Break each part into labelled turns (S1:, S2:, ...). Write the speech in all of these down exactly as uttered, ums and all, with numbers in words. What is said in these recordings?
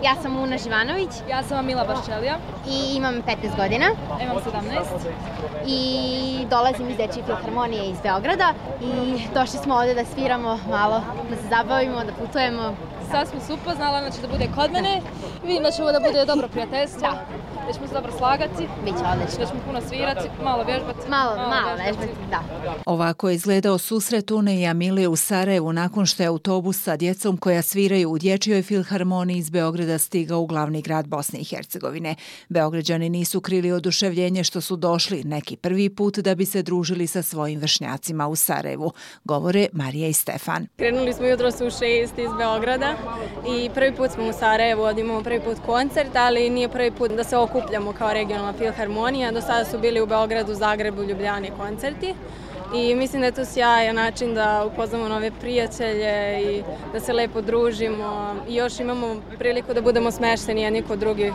S1: Ja sam Una Živanović.
S2: Ja sam Mila Baščelija.
S1: I imam petnaest godina.
S2: Imam sedamnaest.
S1: I dolazim iz Dečije filharmonije iz Beograda. I došli smo ovde da sviramo malo, da se zabavimo, da putujemo.
S2: Sad smo se upoznala, znači da bude kod mene. Vidim da će ovo da bude dobro prijateljstvo.
S1: Da.
S2: Da ćemo se dobro slagati.
S1: Biće odlično.
S2: Da ćemo puno svirati, malo vježbati.
S1: Malo, malo, malo vježbati, da.
S3: Ovako je izgledao susret Une i Amile u Sarajevu nakon što je autobus sa djecom koja sviraju u Dječjoj filharmoniji iz Beograda stigao u glavni grad Bosne i Hercegovine. Beograđani nisu krili oduševljenje što su došli neki prvi put da bi se družili sa svojim vršnjacima u Sarajevu, govore Marija i Stefan.
S4: Krenuli smo jutros u šest iz Beograda i prvi put smo u Sarajevu, imamo prvi put koncert, ali nije prvi put da se okupljamo kao regionalna filharmonija. Do sada su bili u Beogradu, Zagrebu, Ljubljani koncerti i mislim da je to sjajan način da upoznamo nove prijatelje i da se lepo družimo i još imamo priliku da budemo smešteni jedni kod drugih,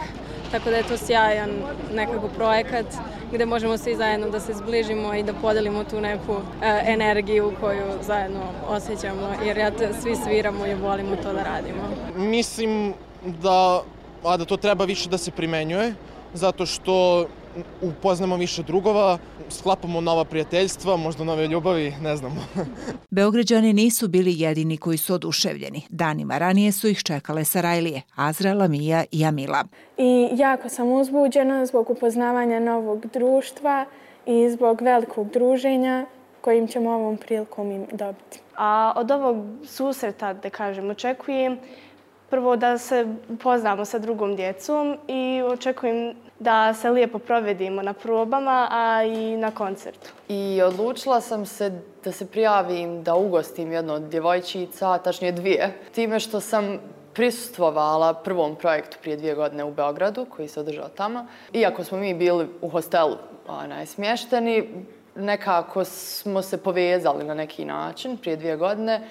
S4: tako da je to sjajan nekako projekat gdje možemo svi zajedno da se zbližimo i da podelimo tu neku e, energiju koju zajedno osjećamo, jer ja te, svi sviramo i volimo to da radimo.
S5: Mislim da, a da to treba više da se primenjuje, zato što upoznamo više drugova, sklapamo nova prijateljstva, možda nove ljubavi, ne znamo.
S3: Beograđani nisu bili jedini koji su oduševljeni. Danima ranije su ih čekale Sarajlije, Azra, Lamija i Amila.
S6: I jako sam uzbuđena zbog upoznavanja novog društva i zbog velikog druženja kojim ćemo ovom prilikom im dobiti.
S7: A od ovog susreta, da kažem, očekujem prvo da se upoznamo sa drugom djecom i očekujem da se lijepo provedimo na probama, a i na koncertu.
S8: I odlučila sam se da se prijavim da ugostim jednu od djevojčica, tačnije dvije. Time što sam prisustvovala prvom projektu prije dvije godine u Beogradu, koji se održao tamo. Iako smo mi bili u hostelu onaj, smješteni, nekako smo se povezali na neki način prije dvije godine.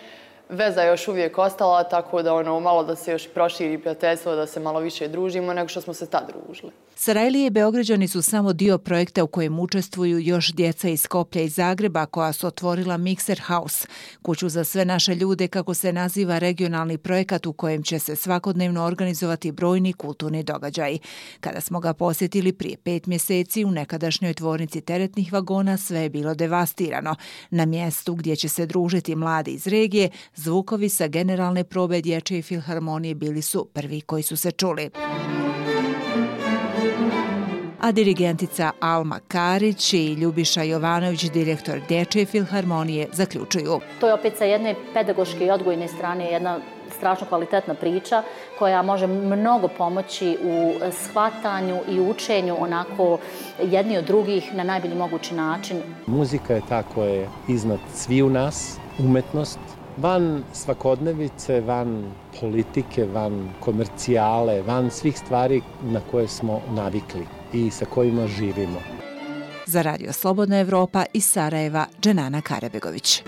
S8: Veza je još uvijek ostala, tako da ono, malo da se još proširi prijateljstvo, da se malo više družimo nego što smo se tad družili.
S3: Sarajlije i Beograđani su samo dio projekta u kojem učestvuju još djeca iz Skoplja i Zagreba koja su otvorila Mixer House, kuću za sve naše ljude, kako se naziva regionalni projekat u kojem će se svakodnevno organizovati brojni kulturni događaji. Kada smo ga posjetili prije pet mjeseci u nekadašnjoj tvornici teretnih vagona, sve je bilo devastirano. Na mjestu gdje će se družiti mladi iz regije, zvukovi sa generalne probe Dječje filharmonije bili su prvi koji su se čuli. A dirigentica Alma Karić i Ljubiša Jovanović, direktor Dječje filharmonije, zaključuju.
S9: To je opet sa jedne pedagoške i odgojne strane jedna strašno kvalitetna priča koja može mnogo pomoći u shvatanju i učenju onako jedni od drugih na najbolji mogući način.
S10: Muzika je ta koja je iznad sviju nas, umetnost, van svakodnevice, van politike, van komercijale, van svih stvari na koje smo navikli i sa kojima živimo.
S3: Za Radio Slobodna Evropa iz Sarajeva, Dženana Karabegović.